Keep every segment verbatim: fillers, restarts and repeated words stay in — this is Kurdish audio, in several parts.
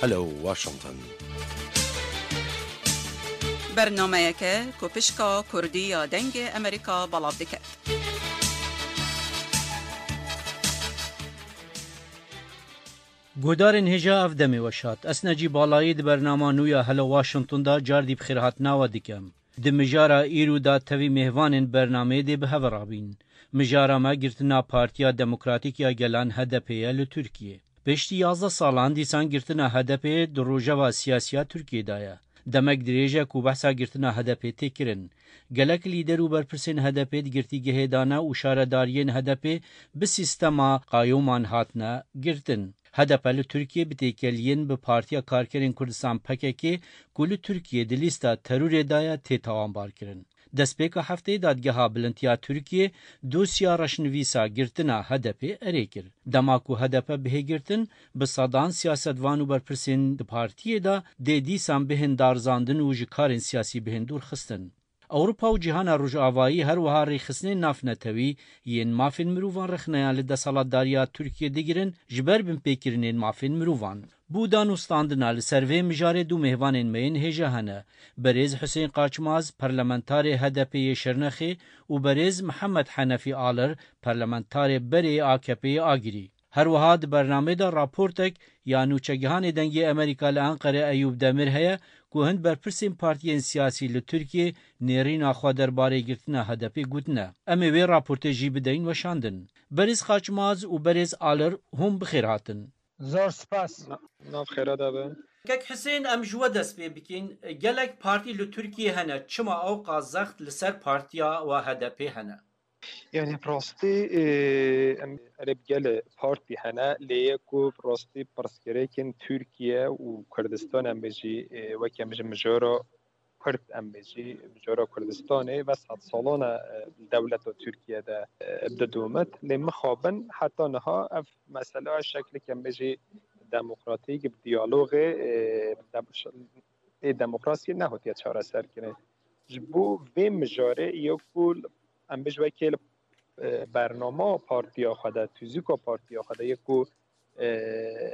Hello Washington. Bernameyeke ku pişka Kurdî ya Dengê Amerîka belav dike. Guhdarên hêja, ev demê weş hat. Ez Necî Balayî di bernama nû ya Hello Washington de cardî bi xêrhatina we dikim. Di mijara îro de tevî mêvanên bernameyê dê bi hev re bîn. Mijara me girtina Partiya Demokratîk ya Gelan, H D P, ye li Tirkiyê. Piştî yazdeh salan dîsan girtina H D P di rojeva siyasî ya Tirkiyê de ye. Demek dirêj e ku behsa girtina H D P tê kirin. Gelek lîder û berpirsên H D P di girtîgehê de ne û şaredariyên H D P bi sîstema qayoman hatine girtin. H D P li Tirkiyê bi têkeliyên bi Partiya Karkerên Kurdistan, P K K, ku li Tirkiyê di lîsta terorê de ye, tê tawanbarkirin. Destpêka hefteyê dadgeha bilind ya Tirkiyê dosya reşnivîsa girtina H D P erê kir. Dema ku H D P bihê girtin, bi sedan siyasetvan û berpirsên di partiyê de dê dîsan bihên darizandin û ji karên siyasî bihên dûrxistin. Ewropa û cîhana Rojavayî her wiha rêxistinên navnetewî yên mafên mirovan rexneyan li desthilatdariya Tirkiyê digirin ji ber binpêkirinên mafên mirovan. Bo danûstandina li ser vê mijarê du mêvanên me yên hêja hene. Berêz Husên Qaçmaz, parlamentarê H D P yê Şirnexê û berêz Mihemed Henefî Alir, parlamentarê berê yê A K P yê Agirî. Her wiha di bernameyê de raportek ya nûçegihanê Dengê Amerîka li Enqere Eyûp Demir heye ku hin berpirsên partiyên siyasî li Tirkiyê nêrîna xwe derbarê girtina H D P gotine. Em ê wê raportê jî bideyin weşandin. Berêz Qaçmaz û berêz Alir, hûn bi xêr hatin. Zor spas. Na-, nav xêra de be. Kek Hisên, em ji we dest pê bikin. Gelek partî li Tirkiyê hene. Çima ewqas zext li ser partiya we H D P hene? Yani bi rastî, e, em erê bi gelê partî hene, lê yê ku bi rastî pirsgirêkên Tirkiye û Kurdistan em bêjî, e, weke em bêjin mijara Kurd em bêjî, mijara Kurdistanê ve sed salan e, dewleta Tirkiye de, e, didomit. Lê mixabin heta niha ev mesele şeklek em bêjî demokratîk bi diyalogê, e, dem-, ê demokrasiyê nehatiye çareserkirin. Ji bo vê mijarê yê ku em bêjin wekî li, e, bernama partiya xwe de, tûzika partiya xwe de yê ku, e,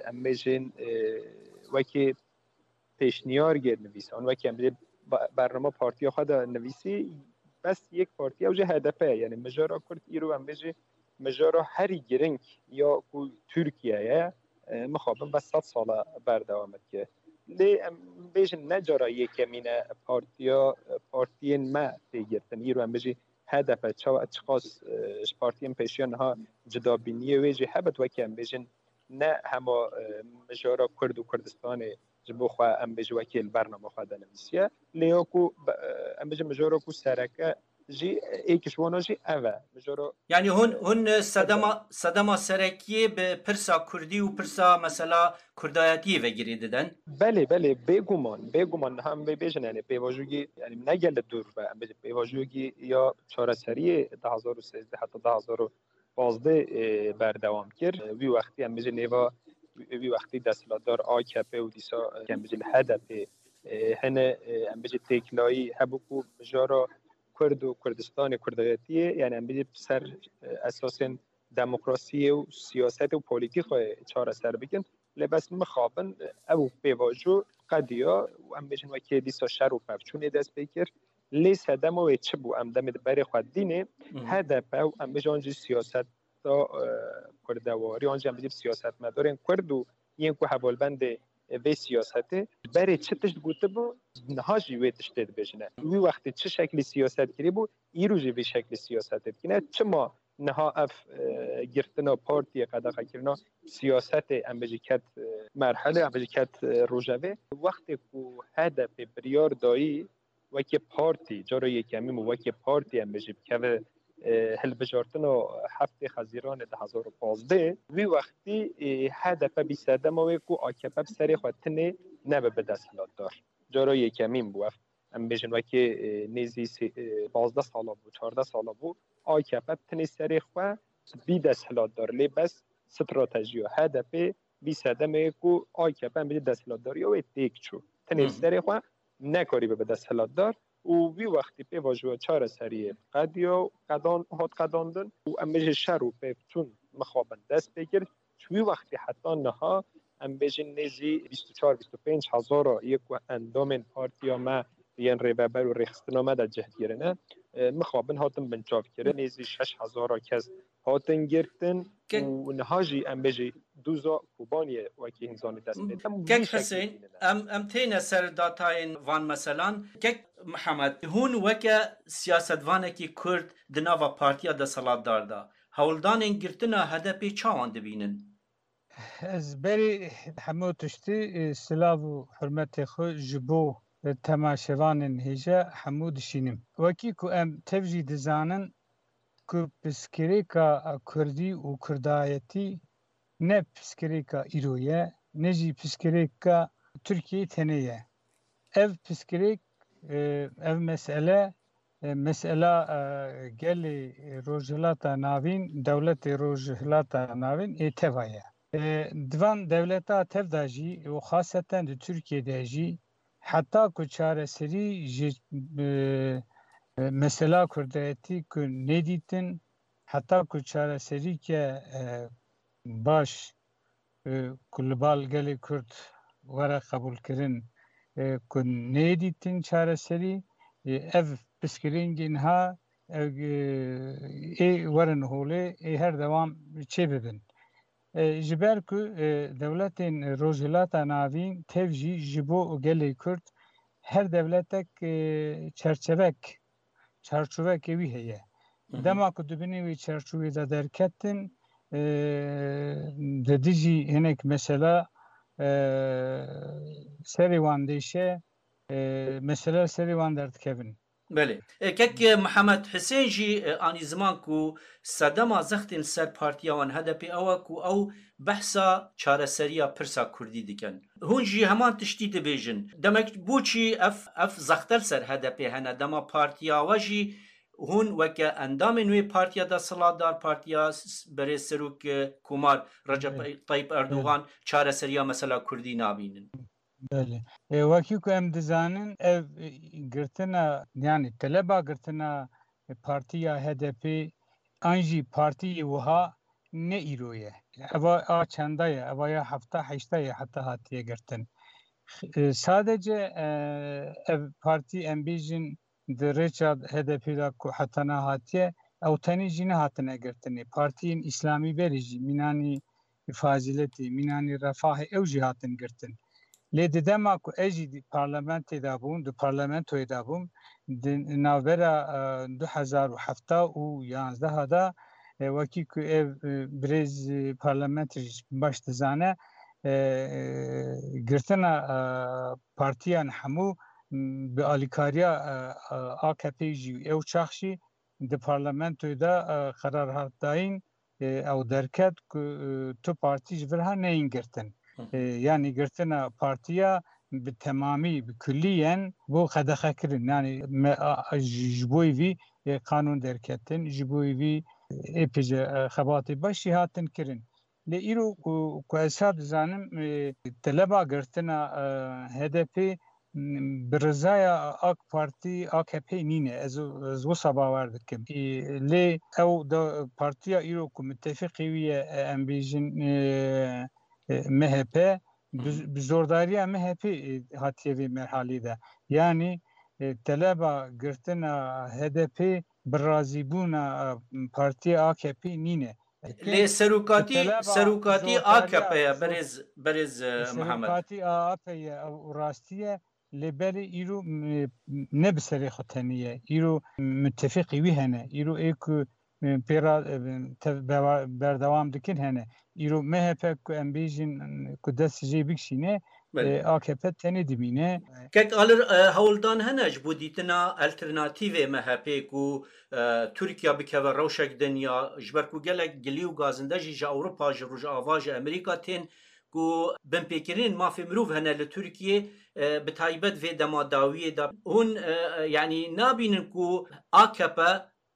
em bêjin, e, wekî pêşniyar gê nivîsan, wekî em bêjin ba-, bernama partiya xwe de nivîsî, bes yek partiya ew jî H D P ye. Yani mijara Kurd îro em bêjî mijara herî giring ya ku Tirkiye ye, e, mixabin ve sed sala berdewam dike. Lê em bêjin ne cara yekemîn e partiya, partiyên me tê girtin. Îro em bêjî H D P çawa çiqas, e, ji partiyên pêşiya niha cudabîniyê wê jî hebit, wekî em bêjin ne hema, e, mijara Kurd û Kurdistanê ji bo xwe em bêjin wekî li bernama xwe de nivîsiye. Lê ya ku be-, e, em bêjin mijara ku sereke jî êk ji wana jî ev e. Mijara Yani hûn, hûn sedema, sedema serekiyê bi pirsa kurdî û pirsa mesela kurdayetiyê ve girê didin? Belê, belê, bêguman, bêguman niha em vê bêjin, yani pêvajoyî, yani ne gelek dûr ve, em bêjin pêvajoyî ya çareseriyê du hazar û sêzdeh heta du hazar û pazdeh, e, berdewam kir. Wî wextî em bêjin nêva wî wextî desthilatdar A K P û dîsa, e, em bêjin H D P, e, hene, e, em bêjin têkilayî hebû ku mijara Kurd û Kurdistanê, Kurdayetiyê, yani em bêjin ser, e, esasên demokrasiyê û siyasetê û polîtîkayê çareser bikin. Lê bes mixabin ew pêvajo qediya û em bêjin wekî dîsa şer û pevçûnê dest pê kir. Lê sedema wê çi bû? Em demê di berê xwe dînê Hı hı. H D P û em bêjin jî siyaseta, e, kurdewarî, an jî em bêjin siyasetmedarên kurd û yên ku hevalbendê vê siyasetê berê çi tişt gotibû, niha jî wê tiştê dibêjine. Wî wextê çi şeklî siyaset kirîbû, îro jî vî şeklî siyasetê dikine. Çima niha ev, e, girtina partiyê, qedexekirina siyasetê, em bêjî ket, e, merhele, em bêjî ket, e, rojevê? Wextê ku H D P biryar dayî wekî partî, cara yekemîn û wekî partî em bêjî bikeve, e, hilbijartina heftê Xezîranê du hazar û pazdeh, wî wextî, e, H D P bî sedema wê ku A K P bi serê xwe tinê nebe bi desthilatdar. Cara yekemîn bû ev. Em bêjin wekî, e, nêzî sê-, e, pazdeh sala bû, çardeh sala bû. A K P bi tinê serê xwe bî desthilatdar. Lê bes stratejiya H D P bî sedemê ku A K P em bêjin desthilatdariya wê têk çû. Tenê Hı hı. serê xwe nekarî bibe desthilatdar û wî wextî pêvajoya çareseriyê qediya, qedan-, hat qedandin û em bêjin şer û pevçûn mixabin dest pê kir. Ji wî wextî heta niha em bêjin nêzî bîst û çar bîst û pênc hezara yê ku endamên partiya me yên rêveber û rêxistina me de cih kirine, e, mixabin hatin binçavkirin. Nêzî şeş hezara kes hatin girtin Ke- û niha jî em bêjî dûza Kobaniyê wekî hîn zanî dest pê dikin. Kek Husên, em, em têne ser datayên van meselan. Kek Mihemed, hûn weke siyasetvanekî Kurd di nava partiya desthilatdar de hewldanên girtina H D P çawan dibînin? Ez berî hemû tiştî, e, silav û hurmetê xwe ji bo, e, temaşevanên hêja hemû dişînim. Wekî ku em tev jî dizanin ku pirsgirêka kurdî û kurdayetî ne pirsgirêka îro ye, ne jî pirsgirêka Tirkiyeyê tenê ye. Ev pirsgirêk, e, ev mesele, e, mesela, e, gelê Rojhilata Navîn, dewletê Rojhilata Navîn ê teva ye. E, di van dewleta tev de jî û xaseten di Tirkiyê de jî heta ku çareserî ji, e, e, mesela kurdayetî ku nêdîtin, heta ku çareserîke, e, baş, e, ku li bal gelê Kurd were qebûlkirin, e, ku nêdîtin çareserî, e, ev pirsgirêngê niha, e, ê werin holê, ê her dewam çêbibin. E, ji ber ku, e, dewletên Rojhilata Navîn tev jî ji bo gelê Kurd her dewletek, e, çerçevek, çarçovekê wî heye. Hı hı. Dema ku di binê wê çarçovê de derketin, e, di dijî hinek mesela, e, serê wan dêşe, e, mesele serê wan derdikevin. Belê. E, kek, e, Mihemed Hisên jî, e, anî ziman ku sedema zextên ser partiya wan H D P ew e ku ew behsa çareseriya pirsa kurdî dikin. Hûn jî heman tiştî dibêjin. Demek boçî ev, ev zextel ser H D P hene? Dema partiya we jî hûn weke endamên wê partiya desthilatdar, partiya s-, s-, berê serok, e, Komar Recep Evet. Tayyip Erdogan Evet. çareseriya mesela kurdî nabînin? Belê. E, wekî ku em dizanin, ev, e, girtina, yanî teleba girtina, e, partiya H D P an jî partiyê wiha ne îro ye. Eva a çenda ye, eva ya hefta heşta ye heta hatiye girtin. E, sadece, e, ev partî em bêjin di rêça H D P de ku heta niha hatiye, ew tenê jî nehatine girtinê. Partiyên îslamî berê jî mînanî Fazîletê, mînanî Refahê ew jî hatin girtin. Lê di dema ku ez jî di parlamentê de bûm, di parlamentoyê de bûm, di navbera, e, du hezar û hefta û yanzdeh de, e, wekî ku ev, e, birêz, e, parlamentê jî baş dizane, e, e, girtina, e, partiyan hemû, m, bi alîkariya, e, e, A K P jî ew çax jî di parlamentoyê de, e, qerar hat dayîn, e, ew derket ku, e, tu partî ji vir ha neyên girtin. Hı hı. E, yanî girtina partiya bi temamî, bi kulliyen bû qedexe kirin. Yanî me, a, a, ji, ji bo vî, e, qanûn derketin, ji bo vî, e, êpêce, e, xebatê baş jî hatin kirin. Lê îro ku, ku ez ha dizanim, e, teleba girtina, e, H D P, m, bi rizaya A K Partî, A K P nîne. Ez, ez wisa bawer dikim. E, lê ew da, partiya îro ku mitefiqê wî ye, e, em bêjin, e, e, M H P, bi, Hı hı. bi zordariya M H P, e, hatiye vê merhalê de. Yanî, e, teleba girtina H D P bi razîbûna, e, partiya A K P nîne. Lê serokatî, Teleba serokatî zordarî A K P ye, zor- berêz, berêz, e, Mihemed. Serokatî A K P ye, ew rastî ye, lê belê îro, m-, ne bi serê xwe tenê ye. Îro mutefîqî wî hene. Îro ê ku, e, pê ra, e, tev-, bewa-, berdewam dikin hene. Îro M H P ku em bêjin, ku dest jê bikişîne, Belê. e, A K P tenê dimîne. Kek Alir, e, hewldan hene ji bo dîtina alternatîvê M H P ku, e, Tirkiye bikeve rewşek din ya, ji ber ku gelek gilî û gazinde jî ji Ewropa, ji Rojava, ji Amerîka tên ku binpêkirinên mafê mirov hene li Tirkiyê, e, bi taybet vê dema dawiyê de. Hûn, e, e, yanî nabînin ku A K P,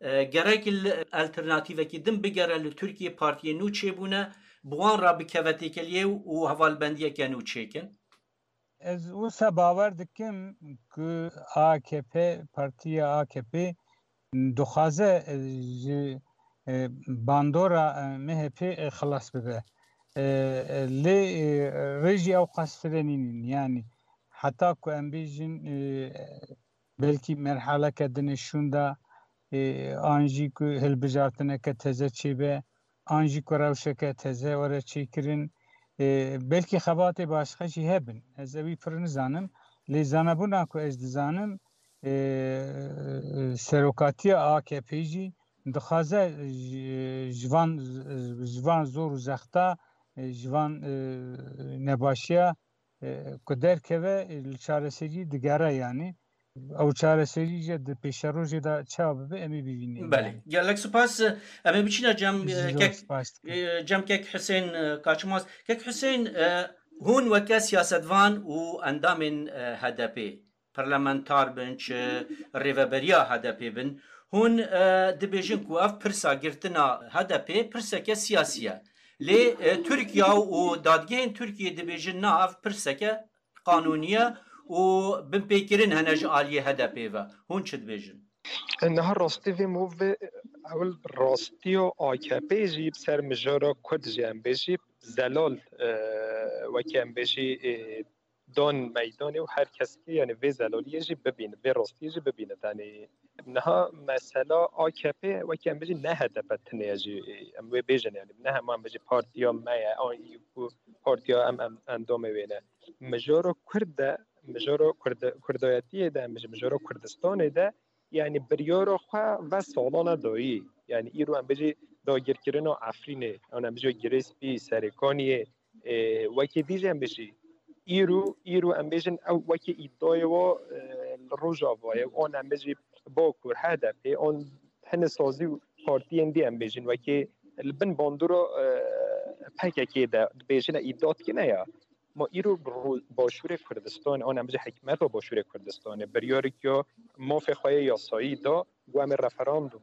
e, gerek li alternatîvekî din bigere li Tirkiyê, partiyên nû çêbûne, bi wan re bikeve têkeliyê û hevalbendiyeke nû çêkin? Ez wisa bawer dikim ku A K P, partiya A K P dixwaze, e, ji, e, bandora, e, M H P, e, xilas bibe. E, e, lê, e, rê jî ew qas firê nînin. Yanî heta ku em bêjin, e, belkî merheleke din ê şûnda, e, an jî ku hilbijartineke teze çêbe, an jî ku rewşeke teze were çêkirin. E, belkî xebatê başqa jî hebin. Ez ewî pir nizanim. Lê zanebûna ku ez dizanim, e, serokatiya A K P jî dixwaze ji, ji van, ji van zor û zexta, e, ji van, e, nebaşiya, e, ku derkeve, e, li çareserî digere yanî. Ew çareserî jî di pêşerojê de çawa bibe, em ê bibînin. Belê. Yanî. Gelek spas. Em ê biçîne cem, e, Zor kek, spas dikim. E, cem kek Husên, e, Kaçmaz. Kek Husên, e, hûn weke siyasetvan û endamên, e, H D P, parlamentar bin, çi rêveberiya H D P bin, hûn, e, dibêjin ku ev pirsa girtina H D P pirseke siyasî ye. Lê, e, Tirkiye û dadgehên Tirkiyê dibêjin na, ev pirseke qanûnî ye û binpêkirin hene ji aliyê H D P ve. Hûn çi dibêjin? Niha rastî vê movê ewil rastiya A K P jî bi ser mijara Kurd jî em bêjî zelal, e, wekî em bêjî, e, dan meydanê û her kes ki, yani, vê zelaliyê jî bibîne, vê rastiyê jî bibîne. Yani, niha mesela A K P wekî em bêjî ne H D P tinê ye jî, em wê bêjin, yani, ne hema em bêjî partiya me ye, an ku partiya em, em endamê wê ne. Mijara Kurd de, mijara Kurd-, Kurdayetiyê de, em bêjî mijara Kurdistanê de, yani, biryara xwe ve salana dayî. Yani, îro em bêjî dagirkirina Efrînê, an em bêjî Girê Spî, Serêkaniyê, e, wekî dî jî em bêjî, îro, îro em bêjin ew wekî îdayê wa, e, li Rojavayê, an em bêjî Bakur, H D P, an hine sazî û partiyên dî em bêjin, wekî li bin bandora, e, P K K de dibêjine îda dikine ya. Ma îro bi ro-, Başûrê Kurdistan, an em bêjî hikûmeta Başûrê Kurdistanê, biryarek ya mafê xwe yê yasayî da, ku em ê referandum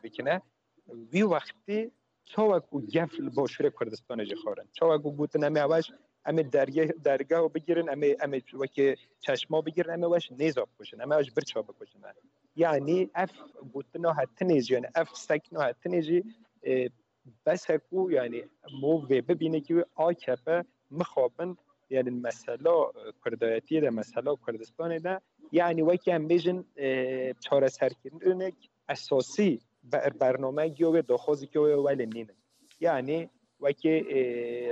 bikine. Wî wextî çawa ku gef li Başûrê Kurdistanê jî xwarin. Çawa ku gotin em ê eweş, em ê derge-, dergeha bigirin, em ê, em ê wekî çeşma bigirin, em ê weş nêza bikujin, em ê weş birça bikujin. Yani ev gotina hetinê jî, yani ev sekna hetinê jî, e, bes e ku, yani, mov vê bibîne ki A K P mixabin, yani mesela, e, Kurdayetiyê de, mesela Kurdistanê de, yani wekî em bêjin, e, çareserkirinek esasî be-, bernameyek ya wê, daxwazek ya wê welê nînin. Yani wekî, e,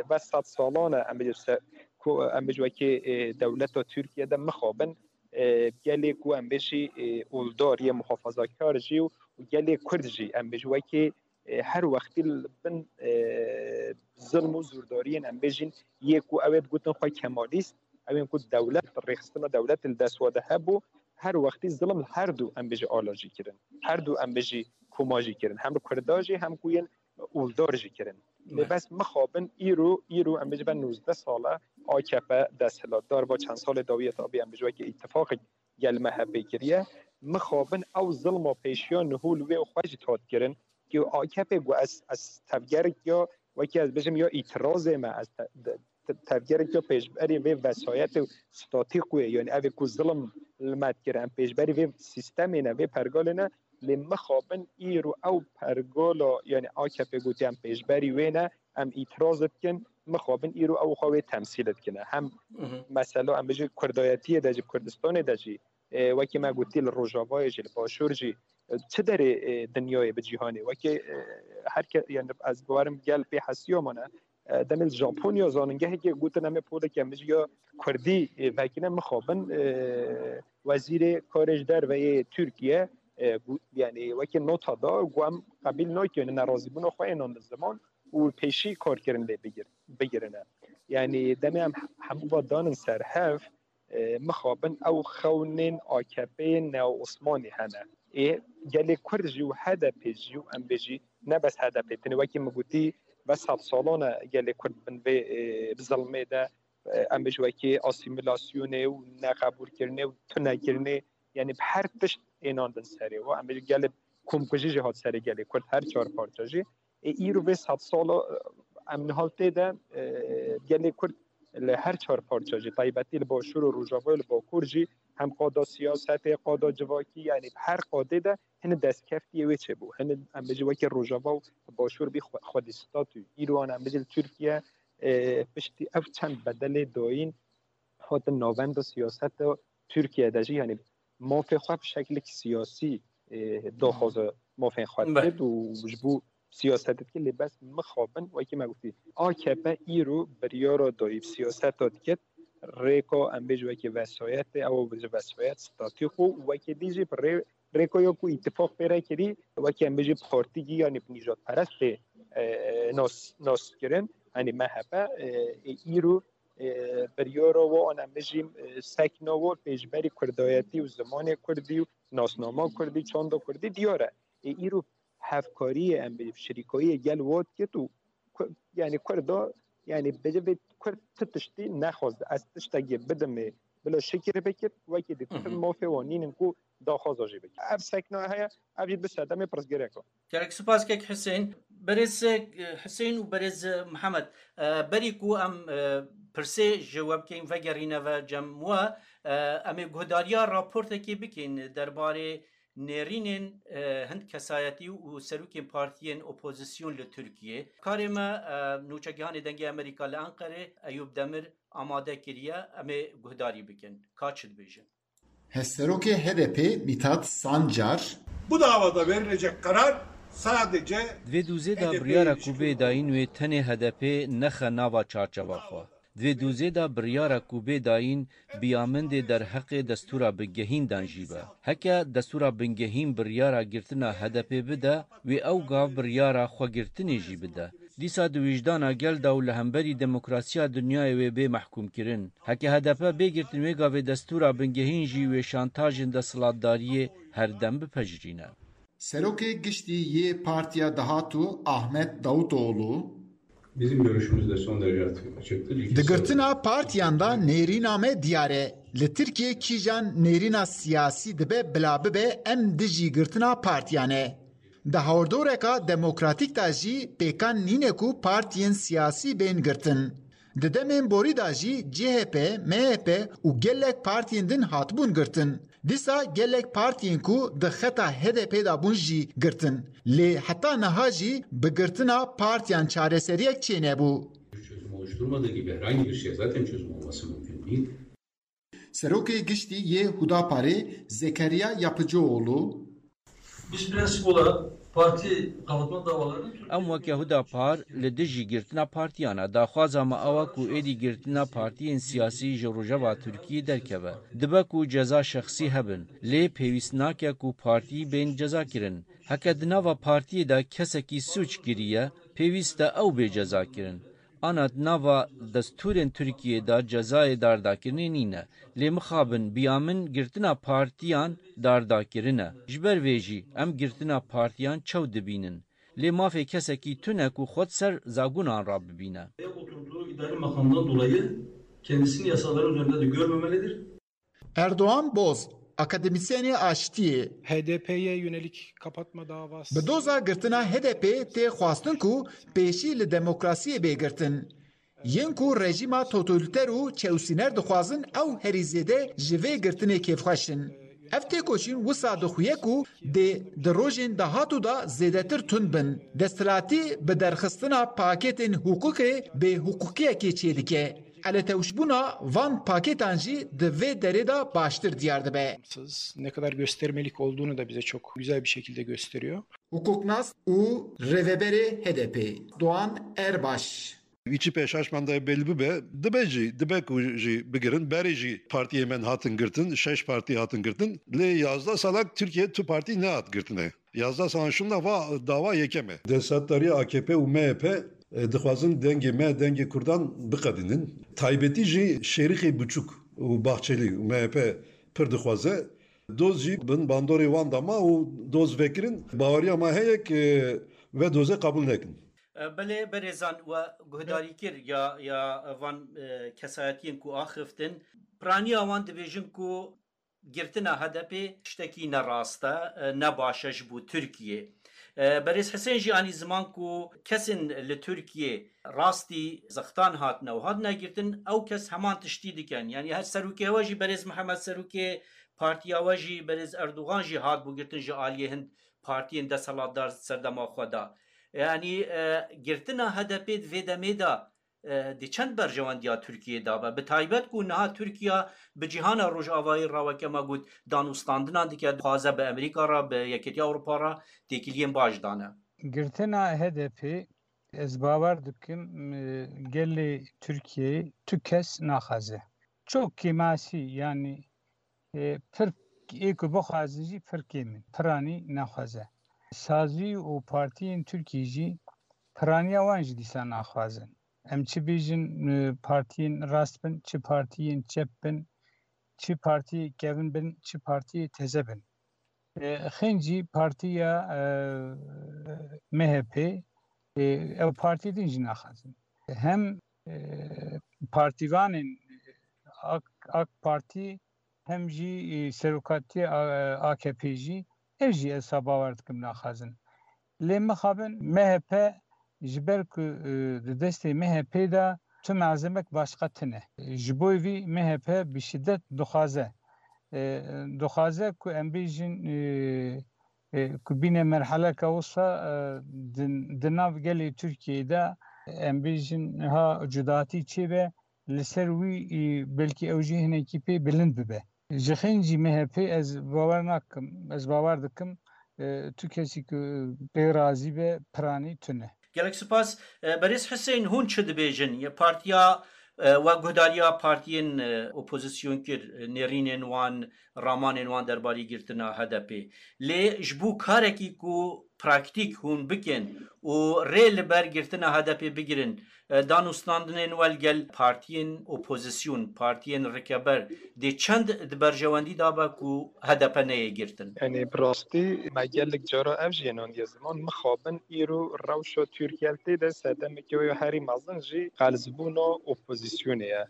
ve sed salan e, em bêjin se-, ku, em bêjin wekî, e, dewleta Tirkiye de mixabin, e, gelê ku em bêjî, e, oldar yê muhafazakar jî û gelê Kurd jî em bêjî wekî, e, her wextî li bin, e, zilm û zûrdariyên em bêjin yê ku ew ê digotin xwe kemalîst, ew ên ku dewlet, rêxistina dewletê li dest wa de hebû, her wextî zilm li her du em bêjî ala jî kirin. Her du em bêjî koma jî kirin. Hem li Kurda jî hem ku yên oldar jî kirin. Lê bes mixabin îro, îro em bêjî ve nozdeh sal e A K P desthilatdar, va çend salê dawiyê tabî em bêjî wekî îtifaqek gel M H P kiriye. Mixabin ew zilma pêşiya niho li wê xwe jî hat kirin. Ki A K P got ez, ez tevgerek ya, wekî ez bêjim ya îtirazê me, ez te-, de-, te-, tevgerek ya pêşberî vê vesayetê û statî xwe, yani ev ê ku zilm li me dikir, em pêşberî vê sîstemê ne, vê pergalê ne, lê mixabin îro ew pergala, yani A K P gotiye em pêşberî wê ne, em îtiraz dikin, mixabin îro ew xwe wê temsîl dikine. Hem Hı hı. mesela em bêjin Kurdayetiyê de jî, Kurdistanê de jî, e, wekî me gotî li Rojavayê jî, li Başûr jî, e, çi derê, e, dinyayê bi cîhanê, wekî, e, her ke-, yani ez bawerim gel pê hesiya mane, e, demê li Japonya zanîngehekê gotin em ê polekê em bêjin ya Kurdî, e, vekine mixabin, e, wezîrê karê ji derve yê Tirkiye, e, got, yani wekî nota da, got em qebîl nakin, nerazîbûna xwe ênan li ziman û pêşî karkirin lê bigir-, bigirine. Yani demê em hemû va danin ser hev, e, mixabin ew xewnên A K P yê neo-Osmanî hene. Ê gelê Kurd jî û H D P jî û em bêjî ne bes H D P, tenê wekî min gotî ve sed salan e gelê Kurd bin vê, e, bi zilmê de, e, em bêjî wekî asîmîlasyonê û neqebûlkirinê û tunekirinê, yani bi her tişt ênandin serê wa. Em bêjî gelê komkujî jî hat serê gelê Kurd her çar parça jî. Ê, îro vê sed sala, e, em niha tê de, e, gelê Kurd li her çar parça jî, taybetî li Başûr û Rojava û li Bakur jî hem qada siyasetê, qada civakî, yani her qadê de hini destkeftiyê wê çêbû. Hini em bêjî wekî Rojava û Başûr bî xwe-, xwedî statû. Îro an em bêjî li Tirkiye, E, piştî ev çend bedelê dayîn hatin navenda siyaseta Tirkiye de jî, yanî mafê xwe bi şeklek siyasî, e, daxwaza mafên xwe Be. dikir û ji bo siyaset dikir, lê bes mixabin, wekî me gotî, A K P îro biryara dayî bi siyaseta dikir, rêka em bêjin wekî vesayetê, ew ji vesayet statî xwe û wekî dî jî bi rê-, rêka ya ku îtifaq pê re kirî, wekî em bêjin partîkî yanî bi nîjadperest tê, e, nas, nas kirin, yanî M H P, e, ê îro, e, biryara wan em bêjin, e, sekna wan pêşberî kurdayetî û zimanê kurdî û nasnama kurdî, çanda kurdî diyar e. Ê îro hevkariyê em bêjin, şirîkayiyê gel wan dikir û Ku-, yanî Kurda, yanî bêje vê Kurd ti tiştî nexwest. Ez tiştekê bidimê, bila şikir bikir, wekî dî Hı hı. mafê wan nînin ku daxwaza jî bikir. Ev sekna heye, ev jî bi sedemê pirsgirêk e. Gelek spas kek Husên. Berêz, e, Husên û berêz, e, Mihemed, e, berî ku em, e, pirsê ji we bikeyn, vegerîne ve cem we, e, em ê guhdariya raportekê bikeyn derbarê nêrînên, e, hin kesayetî û serokên partiyên opozîsyon li Tirkiyê. Karê me, e, nûçegihanê Dengê Amerîka li Enqerê, Eyûp Demir, amade kiriye, em ê guhdarî bikin. Ka çi dibêjin? Hevserokê H D P Mithat Sancar, Bu davada verilecek karar sadece Di vê dûzê de H D P'ye biryara ilişkin ku bê dayîn wê tenê H D P nexe nava çarçeva xwe. Di vê dûzê de biryara ku bê dayîn bi ya min dê derheqê destûra bingehîn dan jî be. Heke destûra bingehîn biryara girtina H D P bide, wê ew gav biryara xwegirtinê jî bide. Dîsa di wijdana gel de û li hemberî demokrasiya dinyayê wê bê mehkûmkirin. Heke H D P bê girtin, wê gavê destûra bingehîn jî wê şantajên desthilatdariyê herdem bipejirîne. Serokê Giştî yê Partiya Dahatû Ahmet Davutoğlu, Bizim görüşümüz de son derece açıktır. İki Di girtina partiyan de nêrîna me diyar e. Li Tirkiyê kîjan nêrîna siyasî dibe bila bibe, em dijî girtina partiyan e. Di hawrdoreka demokratîk de jî pêkan nîne ku partiyên siyasî bên girtin. Di demên borî de jî C H P, M H P û gelek partiyên din hatibûn girtin. Dîsa gelek partiyên ku di xeta H D P de bûn jî girtin. Lê heta niha jî bi girtina partiyan çareseriyek çênebû. Çözüm oluşturmadığı gibi herhangi bir şey zaten çözüm olması mümkün değil. Serokê Giştî yê Hudaparê Zekeriya Yapıcıoğlu, Biz prensip olarak parti kapatma davalarını Türkiye Em weke Hudapar li dijî girtina partiyan e. Daxwaza me ew e ku êdî girtina partiyên siyasî ji rojeva Tirkiyê derkeve. Dibe ku ceza şexsî hebin, lê pêwîst nake ku partî bên cezakirin. Heke di nava partiyê de kesekî sûc kiriye, pêwîst e ew bê cezakirin. Ana di nava destûrên Tirkiyê de cezayê dardakirinê nîne. Lê mixabin biya min girtina partiyan dardakirine. Ji ber vê jî em girtina partiyan çew dibînin. Lê mafê kesekî tune ku xwe di ser zagunan rabibîne. Oturduğu idari makamdan dolayı kendisini yasaların üzerinde de görmemelidir. Erdoğan Boz, akademîsyenê aştiyê. H D P'ye yönelik kapatma davası. Bi doza girtina H D P tê xwestin ku pêşî li demokrasiyê bê girtin. Yên ku rejîma totalîter û çewsîner dixwazin ew herî zêde ji vê girtinê kêfxweş in. Ev têkoşîn wisa dixuye ku dê di rojên dahatû de zêdetir tund bin. Desthilatî bi derxistina pakêtên hiqûqê bêhiqûqiyekê çêdike. Eletewşbûna van pakêtan jî di vê derê de baştir diyar dibe. Bağımsız, ne kadar göstermelik olduğunu da bize çok güzel bir şekilde gösteriyor. Hukuknas û rêveberê H D P Doğan Erbaş. Wî çi pêşaş mendayê belli bibe, dibe jî, dibe ku jî bigirin, berê jî partiyê me hatin girtin, şeş partî hatin girtin. Lê yazdeh salak Tirkiye tu partî nehat girtine. Yazdeh salan şûnda va dawa yekem e. Desthilatdariya A K P û M H P, e, dixwazin dengê me, dengê Kurdan biqedînin. Taybetî jî Şêrîxê Biçûk û Bahçelî û M H P pir dixwaze. Doz jî bin bandorê wan de ma û doz vekirin. Baweriya me heye ku ve dozê qebûl nekin. E, belê berêzan we guhdarî kir ya, ya van, e, kesayetiyên ku axiftin. Piraniya wan dibêjin ku girtina H D P tiştekî nerast e, e, ne baş e ji bo Tirkiyê. E, berêz Hisên jî anî ziman ku kesên li Tirkiyê rastî zextan hatine û hatine girtin, ew kes heman tiştî dikin. Yanî her serokê we jî, berêz Mihemed serokê partiya we jî, berêz Erdogan jî hat bû girtin ji aliyê hin partiyên desthilatdar serdema xwe de. Yanî, e, girtina H D P di vê demê de e, di çend berjewendiya Tirkiyê de be. Bi taybet ku niha Tirkiye bi cîhana Rojavayê re weke me got danûstandinan dike, dixwaze bi Amerîka re, bi Yekêtiya Ewropa re têkiliyên baş dane. Girtina H D P, ez bawer dikim, e, gelê Tirkiyeyê tu kes naxwaze. Çok kêmasî, yanî, e, pir ê ku bixwazin jî pir kêm in. Piranî naxwaze. Sazî û partiyên Tirkiyê jî piraniya wan jî dîsa naxwazin. Em çi bêjin, e, partiyên rast bin, çi partiyên çep bin, çi partiyê kevin bin, çi partiyê teze bin. E, xêncî partiya, e, M H P, e, ew partiyê din jî naxwazin. Hem, e, partîvanên AK, AK Partî, hem jî, e, serokatiya, e, A K P jî, ev jî ez ha bawer dikim naxwazin. Lê mixabin M H P ji ber ku, e, di destê M H P de tu malzemek başqa tune. Ji bo vî M H P bi şiddet dixwaze. E, dixwaze ku em bêjin, e, e, ku bîne merheleke wisa, e, di, di nav gelê Tirkiyeyê de em bêjin ha cudatî çêbe, li ser wî, e, belkî ew jî hinekî pê bilind bibe. Ji xêncî M H P ez bawer nakim, ez bawer dikim, e, tu kesî ku pê razî be, piranî tune. Gelek spas. E, Berêz Hisên, hûn çi dibêjin? Ye partiya, e, we guhdariya partiyên, e, opozîsyonkir, e, nêrînên wan, ramanên wan derbarî girtina H D P. Lê ji bo karekî ku praktîk hûn bikin û rê li ber girtina H D P bigirin, e, danûstandinên we li gel partiyên opozîsyon, partiyên rikeber dê çend di berjewendî de be ku H D P neyê girtin? Yanî bi rastî me gelek cara ev jî yê nandiye ziman. Mixabin îro rewşa Tirkiye li tê de sedemeke wê ya herî mezin jî qelizbûna opozîsyonê ye.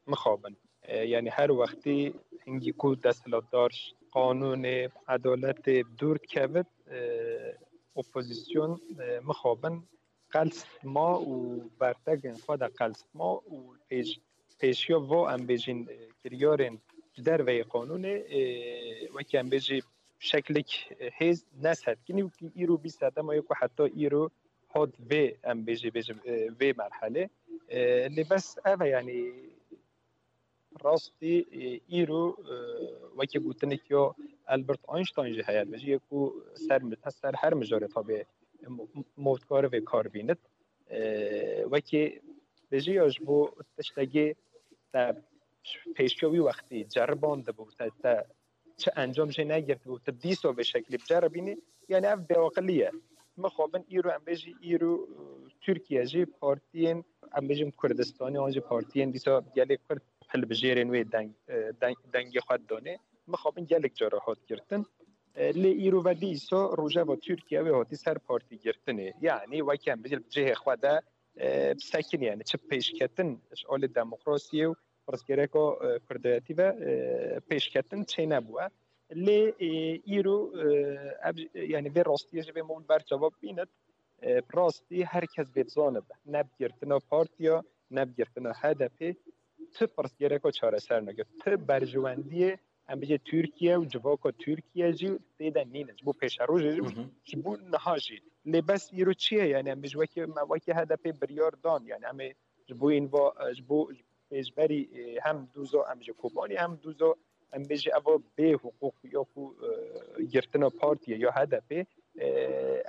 Mixabin. E, yanî her wextî hingî ku desthilatdar ji qanûnê, edaletê dûr dikevit, e, opozîsyon, e, mixabin qels ma û bertegên xwe de qels ma û pêş-, pêşiya va em bêjin, e, kiryarên ji derveyê qanûnê, e, wekî em bêjî şeklik, e, hêz nesetkinî û kî îro bîst sedema ye ku heta îro hat vê, em bêjî, bêjim, e, vê merhelê. E, lê bes ev e, yanî rastî, e, îro, e, wekî gotinek ya Albert Einstein jî heye, dibêje, yê ku ser mi-, ser her mijarê tabi mo-, mo-, dikare vê kar bînit. E, wekî bêjî ya ji bo tiştekî te pêşiya wî wextî ceribandibû, te, te çi encam jê negirtibû, tu dîsa vê şeklî biceribînî, yanî ev bêaqilî ye. Mixabin îro em bêjî îro, e, Tirkiye jî partiyên, em bêjin Kurdistanê, an jî partiyên dîsa gelê Kurd hilbijêrên wê deng, e, deng, dengê xwe didonê. Mixabin gelek cara hat girtin. E, lê îro ve dîsa rojeva Tirkiye wê hatî ser partî girtinê. Yanî wekî em bêjin li cihê xwe de, e, bisekinî, yanî çi pêşketin ji alî demokrasiyê û pirsgirêka, e, kurdayetî ve, e, pêşketin çênebûye. Lê, e, îro, e, ev, yanî vê rastiyê ji vê mol ber cevab bînit. E, bi rastî her kes vê bizanibe. Ne bi girtina partiya, ne bi girtina H D P, tu pirsgirêka çareser nake. Tu berjewendiyê, em bêjê Tirkiye û civaka Tirkiye jî tê de nîne. Ji bo pêşerojê jî, Hı hı. ji bo niha jî. Lê bes îro çi ye? Yanî em bêjî wekî, me wekî H D P biryar dan. Yanî em ê ji bo înva, ji bo pêşberî, e, hem dûza em ji Kobanî hem dûza em bêjî eva bê hiqûq ya ku, e, girtina partiyê ya H D P, e,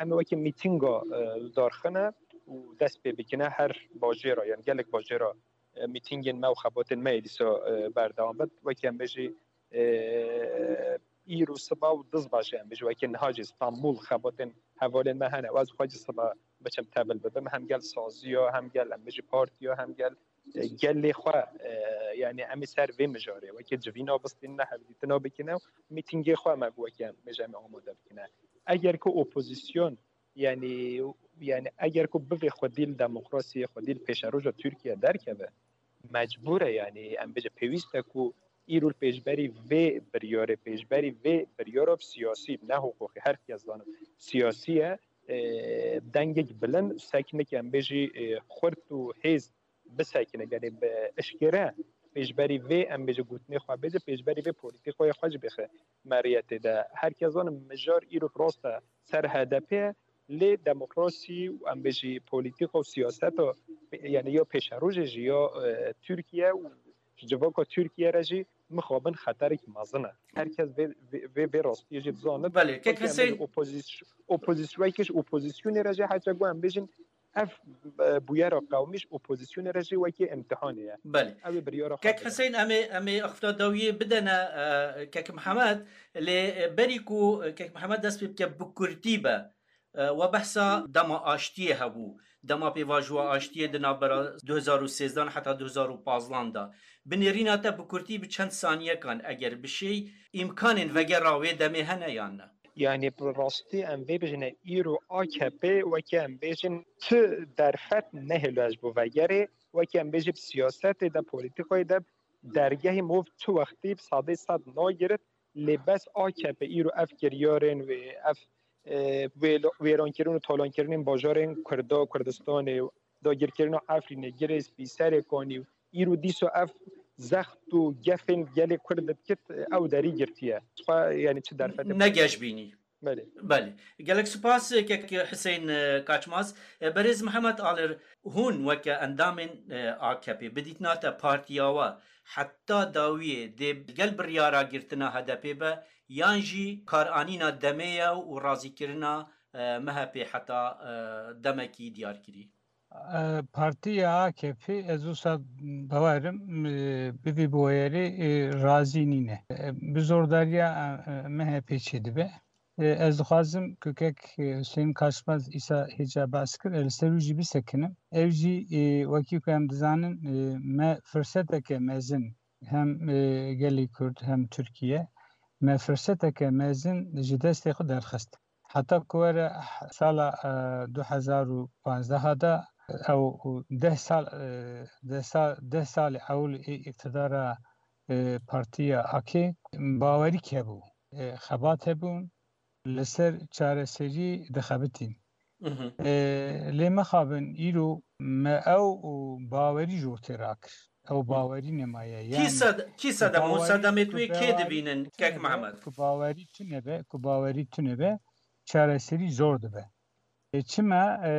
em ê wekî mîtînga, e, darxine û dest pê bikine her bajêra, yanî gelek bajêra, e, mîtîngên me û xebatên me yê dîsa, e, berdewam bit. Wekî em bêjî, e, îro siba û dizba jî em bêjî wekî niha jî Stenbul xebatên hevalên me hene. Ez xwe jî siba biçim tevil bibim. Hem gel saziya, hem gel em bêjî partiya, hem gel e, gelê xwe, e, yanî em ê ser vê mijarê wekî civîna bistînine, hevdîtina bikine û mîtîngê xwe me wekî em bêje em ê amade bikine. Eger ku opozîsyon, yanî, yanî eger ku bivê xwedî li demokrasiyê, xwedî li pêşeroja Tirkiye derkeve, mecbûr e, yanî em bêje pêwîst e ku îro li pêşberî vê biryarê, pêşberî vê biryara siyasî, ne hiqûqî, her kes zanin siyasî ye, e, dengek bilind, seknik em bêjî, e, xurt û hêz bisekine, yanî bi eşkere pêşberî vê, em bêjin, gotinê xwe bêje, pêşberî vê polîtîkayê xwe jî bixe meriyetê de. Her kes zanin mijar îro rast e ser H D P ye, lê demokrasî û em bêjî polîtîka û siyaseta Yani ya pêşerojê jî ya e, Tirkiye û ji civaka Tirkiye re jî mixabin xeterekî mezin e. Herkes vê, vê, vê, vê rastiyê jî dizanit. Belê, kek Weke em Hüseyin bêjin opozis-, opozis-, weke ji opozisyonê re jî heta ku em bêjin ev e, bûyera qewmî ji opozisyonê re jî wekî imtihanê ye. Belê. Ew ê biryara xwe Kek bide. Hüseyin, em ê, em ê axifta dawiyê bidene e, Kek Mihemed, lê e, berî ku e, Kek Mihemed dest pê bike bi kurtî be, e, we behsa dema aştiyê hebû. Dema pêvajoya aştiyê di navbera du hezar û sêzdehan heta du hezar û pazdehan de. Bi nêrîna te bi kurtî bi çend saniyekan eger bişêy, îmkanên vegera wê demê hene yan ne? Yani bi rastî em vê bijine îro A K P weke em bêjin tu derfet nehêlo ez bo vegerê, weke em bêjin siyasetê de, polîtîkayê de dergehê mov tu wextî bi sedê sed nagirit, lê bes A K P îro ev kiryarên wê, ev e, wêlo-, wêrankirin û talankirinên bajarên Kurda, Kurdistanê, dagirkirina Efrînê, Girê Spî, Serê Kanî û îro dîsa ev zext û gefên gelê Kurd dikit, ew derî girtiye. Xwe, yani çi derfetê Ne geş bînî. Belê. Belê. Gelek spas, kek Hüseyin e, Kaçmaz. E, Berêz Mihemed Alir, hûn weke endamên e, A K P, bi dîtina te partiya we heta dawiyê dê gel biryara girtina H D P be, yan jî karanîna demê ye û razîkirina e, M H P heta e, demekî diyarkirî? E, Partiya A K P, ez wisa bawer im, e, bi vî bûyerê, e, razî nîne. E, bi zordariya e, e, M H P çêdibe. E, ez dixwazim ku kek, e, Hüseyin Kaçmaz îsa hêca behs kir, e, li ser wî jî bisekinim. Ew jî, e, wekî ku em dizanin, e, me firseteke mezin hem, e, gelê Kurd hem Tirkiye, me firseteke mezin ji destê xwe derxist. Heta ku were sala, e, du hezar û panzdeh de ew deh sal, e, deh sal, deh salê ewil ê îqtidara, e, partiya A K bawerî hebû, e, xebat hebûn, li ser çareserî dixebitîn. Mhm. E, lê mixabin îro me ew û bawerî ji ortê rakir. Ew Hı. bawerî nemaye. Kî Yani sed-, kî sedem û bawerî sedemê ku tu yê kê bawerî dibînin, tune Kek be, Mihemed? Ku bawerî tune be, ku bawerî tune be, çareserî zor dibe. E, çima, e,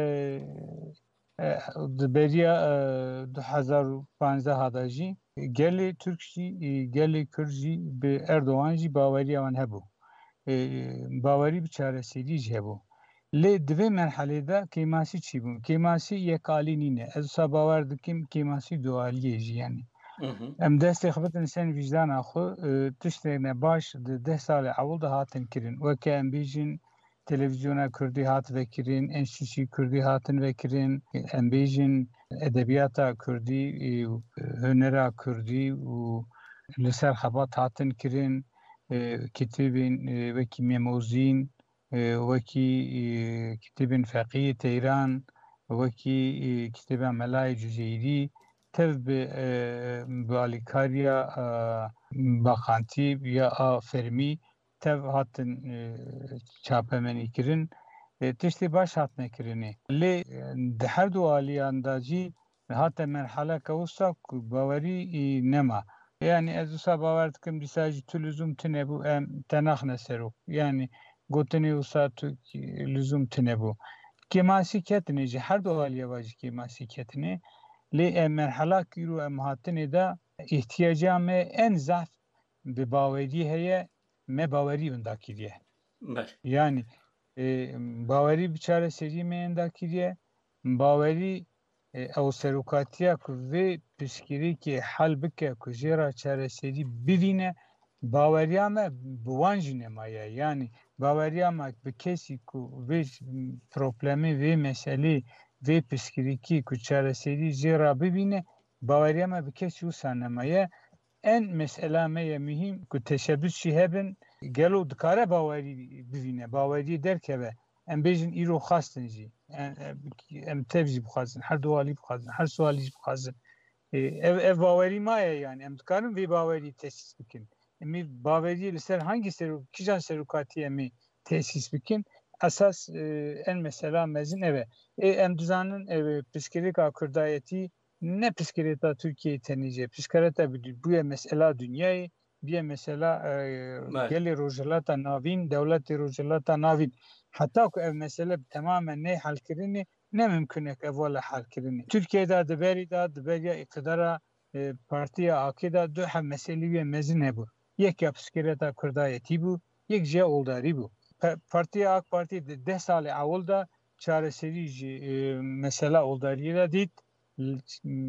e, di beriya, e, du hezar û panzdeh de jî gelê Tirk jî, e, gelê Kurd jî bi Erdogan jî baweriya wan hebû. E, bawerî bi çareserî jî hebû. Lê di vê merhelê de kêmasî çi bûn? Kêmasî yekalî nîne. Ez wisa bawer dikim kêmasî dualiyê jî yani. Hı hı. Em destê xwe bidin ser vîjdana xwe, e, tiştê ne baş di deh salê ewil de hatin kirin. Weke em bêjin, televîzyona kurdî hat vekirin, enstîtûyê kurdî hatin vekirin, em bêjin edebiyata kurdî, e, hunera kurdî û li ser xebat hatin kirin, e, kitêbên, e, wekî Mem Ozîn, e, wekî, e, kitêbên Feqiyê Teyran, wekî, e, kitêba Melayê Cuzeyrî, tev bi, e, bi alîkariya, e, baqantî ya a fermî tev hatin, e, çapemenî kirin, e, tiştê baş hatine kirinê. Lê, e, di her du aliyan de jî hate merhaleke wisa ku bawerî, e, nema. Yani ez wisa bawer dikim dîsa jî tu lizûm tune bû, em te naxine serok. Yani gotinê wisa tu lizûm tune bû. Kêmasî ketine jî, her du aliya va jî kêmasî ketine. Lê em merhala ku îro em hatine de, îhtiyaca me en zaf bi bawerî heye, me bawerî winda kiriye. Belê. Yani, e, bawerî bi çareserî me winda kiriye, bawerî, e, ew serokatiya ku vê pirsgirêkê hel bike, ku jê re çareserî bivîne, baweriya me bi wan jî nemaye. Yani, baweriya me bi kesî ku vê problemê, vê meselê, vê pirsgirêkê ku çareserî jê re bivîne, baweriya me bi kesî wisa nemaye. En mesela me ye muhîm ku teşebbus jî hebin, gelo dikare bawerî bivîne, baweriyê derkeve. Em bêjin îro xwestin jî. Em, em, em tev jî bixwazin, her du alî bixwazin, her su alî jî bixwazin. E, ev, ev bawerî maye yani. Em dikarin vê bawerî tesîs bikin. Em ê baweriyê li ser hangî serok-, kîjan serokatiyê em ê tesîs bikin? Esas, e, en mesela mezin ev e. Ê, em dizanin, e, pirsgirêka kurdayetî ne pirsgirêka Tirkiyeyê tenê jî, pirsgirêka bi-, bûye mesela dinyayê, bûye mesela, e, Belê. gelê Rojhilata Navîn, dewletê Rojhilata Navîn. Heta ku ev mesele bi temamen neyê helkirinê, Ne mimkun e ev wele hal kirinê. Tirkiye de di berî de, di beriya îqtidara, e, partiya A K de du heb meselî wê mezin hebû. Yek ya piskireta kurdayetî bû, yek jî ya oldarî bû. Pe-, partiya A K Partî di deh salê ewil de çareserî ji, e, mesela oldariyê de dît. L-,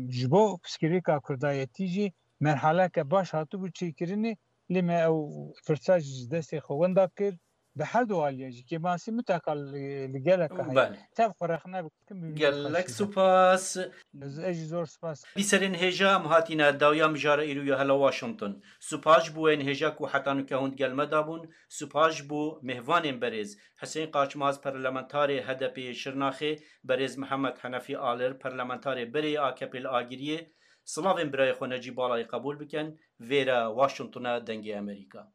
ji bo piskirêka kurdayetî jî merhaleke baş hatibû çêkirinê, lê me ew firsa ji destê xwe wenda kir. Bi her du aliya jî kêmasî mitaka li, li geleka heye. Belê. Tev xwe rexne bikim, bi wî Gelek xweşî de. Supas. Ez, ez jî zor supas. Bîserên hêja em hatîne dawiya mijara îro ya hela Washington. Supas ji bo ên hêja ku heta nuke hûn di gel me de bûn. Supas ji bo mêvanên berêz. Husên Qaçmaz, parlamentarê H D P yê Şirnaxê, berêz Mihemed Henefî Alir, parlamentarê berê yê A K P li Agiriyê, silavên birayê xwe Necîb Balayê qebûl bikin. Vêre Washington e, Dengê Amerîka.